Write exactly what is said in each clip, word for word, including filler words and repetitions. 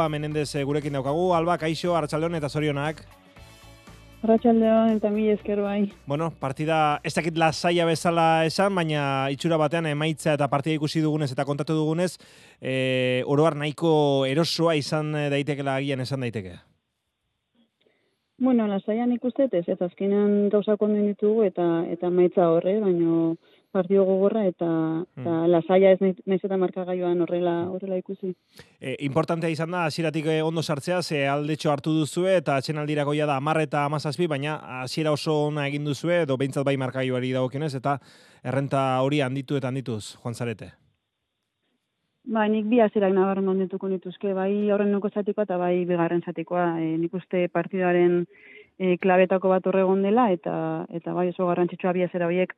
Menendez gurekin daukagu, Alba, kaixo, arratsaldeon eta zorionak. Arratsaldeon eta mila esker bai. Bueno, partida ez dakit lasaia bezala esan, baina itxura batean emaitza eta partida ikusi dugunez eta kontatu dugunez, e, oroar nahiko erosoa izan daitekela agian esan daiteke. Bueno, lasaian ikuste ez, ez azkenean gauzak ondo ditugu eta eta emaitza horre, baino partido gogorra eta, Hmm. eta lasaia ez naiz eta markagailuan horrela horrela ikusi. E, importantea izan da, hasieratik ondo sartzea, ze aldetxo hartu duzue eta atxenaldirako ja da hamar eta hamazazpi, baina hasiera oso ona egin duzue, edo behintzat bai markagailuari dagokionez, eta errenta hori handitu eta handituz, joan zarete. Ba, nik bi hasierak nabarmen dituko nituzke, bai aurreneko zatikoa eta bai bigarren zatikoa. E, nik uste partidaren e, klabetako bat horre egon dela eta eta bai oso garrantzitsua bi hasiera horiek.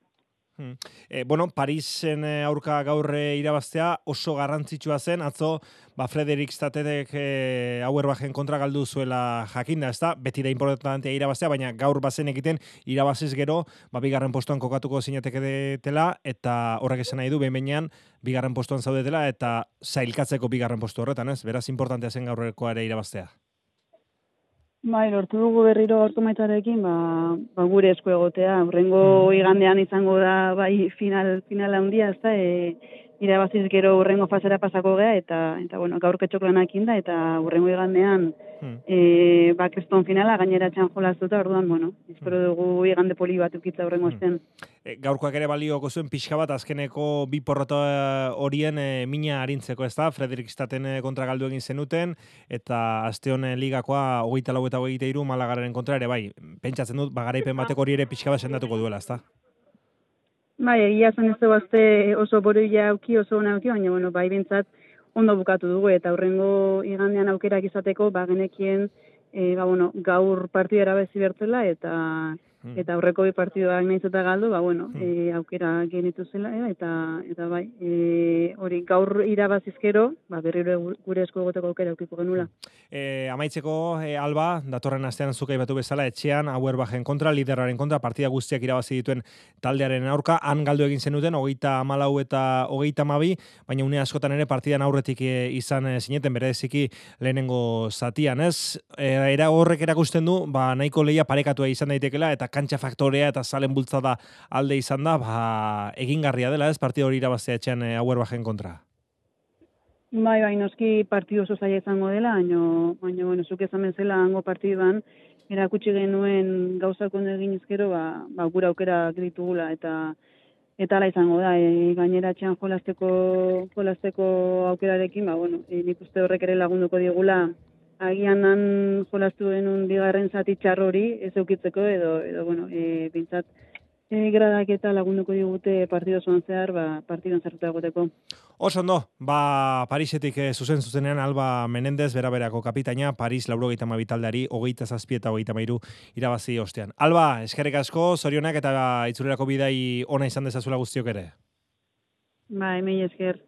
Hmm. E, bueno, Parisen aurka gaur irabaztea oso garrantzitsua zen, atzo ba Frederik Statetek e, Auerbachen kontra galdu zuela jakinda, ezta? Beti da importantea irabaztea, baina gaur bazen egiten irabaziz gero, ba bigarren postuan kokatuko zinateketela eta horrek esan nahi du behin-behinean bigarren postuan zaudetela eta sailkatzeko bigarren postu horretan, ez? Beraz importantea zen gaurrekoa ere irabaztea. Bai, lortu dugu berriro gaurko maitzarekin, ba, ba gure esku egotea. Hurrengo mm. igandean izango da bai final final handia, ezta? E, irabaziz gero hurrengo fasera pasako gea eta eta bueno, gaur ketxoklanekin da eta hurrengo igandean mm. eh ba kriston finala gainera txan jolastuta, orduan bueno, espero dugu igande poli bat ukitza hurrengo astean. E, gaurkoak ere balioko zuen pixka bat azkeneko bi porrota horien e, mina arintzeko, ezta? Frederik Staten kontra galdu egin zenuten eta aste honen ligakoa hogeita lau eta hogeita hiru Malagaren kontra ere bai. Pentsatzen dut ba garaipen bateko hori ere pixka bat sendatuko duela, ezta? Bai, egia zen ez bazte oso boroia auki, oso ona auki, baina bueno, bai bintzat ondo bukatu dugu eta hurrengo igandean aukerak izateko, ba genekien e, ba, bueno, gaur partidera bezi bertzela eta hmm. eta aurreko bi partidoak nahiz eta galdu, ba bueno, hmm. e, aukera genitu zela e, eta eta bai, e, hori gaur irabazizkero, ba berriro gure esku egoteko aukera aukiko genula. E, amaitzeko e, Alba, datorren astean zuk aipatu bezala etxean Auerbachen kontra, liderraren kontra, partida guztiak irabazi dituen taldearen aurka, han galdu egin zenuten, hogeita hamalau eta hogeita hamabi, baina une askotan ere partidan aurretik e, izan e, zineten, bereziki lehenengo zatian, ez? E, era horrek erakusten du, ba, nahiko lehia parekatua izan daitekela, eta kantxa faktorea eta zalen bultzada alde izan da, ba, egingarria dela, ez? Partida hori irabaztea etxean e, Auerbachen kontra. Bai, bai, noski partidu oso zaila izango dela, baina, baina, bueno, zuk esan bezala hango partiduan, erakutsi genuen gauzak ondo egin ezkero, ba, ba, gura aukera ditugula, eta eta ala izango da, e, gainera txean jolasteko, jolasteko aukerarekin, ba, bueno, e, nik uste horrek ere lagunduko digula, agian han jolastu genuen bigarren zati txar hori, ez eukitzeko, edo, edo bueno, e, bintzat, e, gradak eta lagunduko digute partido zoan zehar, ba, partidoan zertuta egoteko. Oso ondo, ba, Parisetik eh, zuzen zuzenean Alba Menendez, bera-berako kapitaina, Paris laurogeita hamabi taldeari, hogeita zazpi eta hogeita hamairu irabazi ostean. Alba, eskerrik asko, zorionak eta itzulerako bidai ona izan dezazula guztiok ere. Bai, mila esker.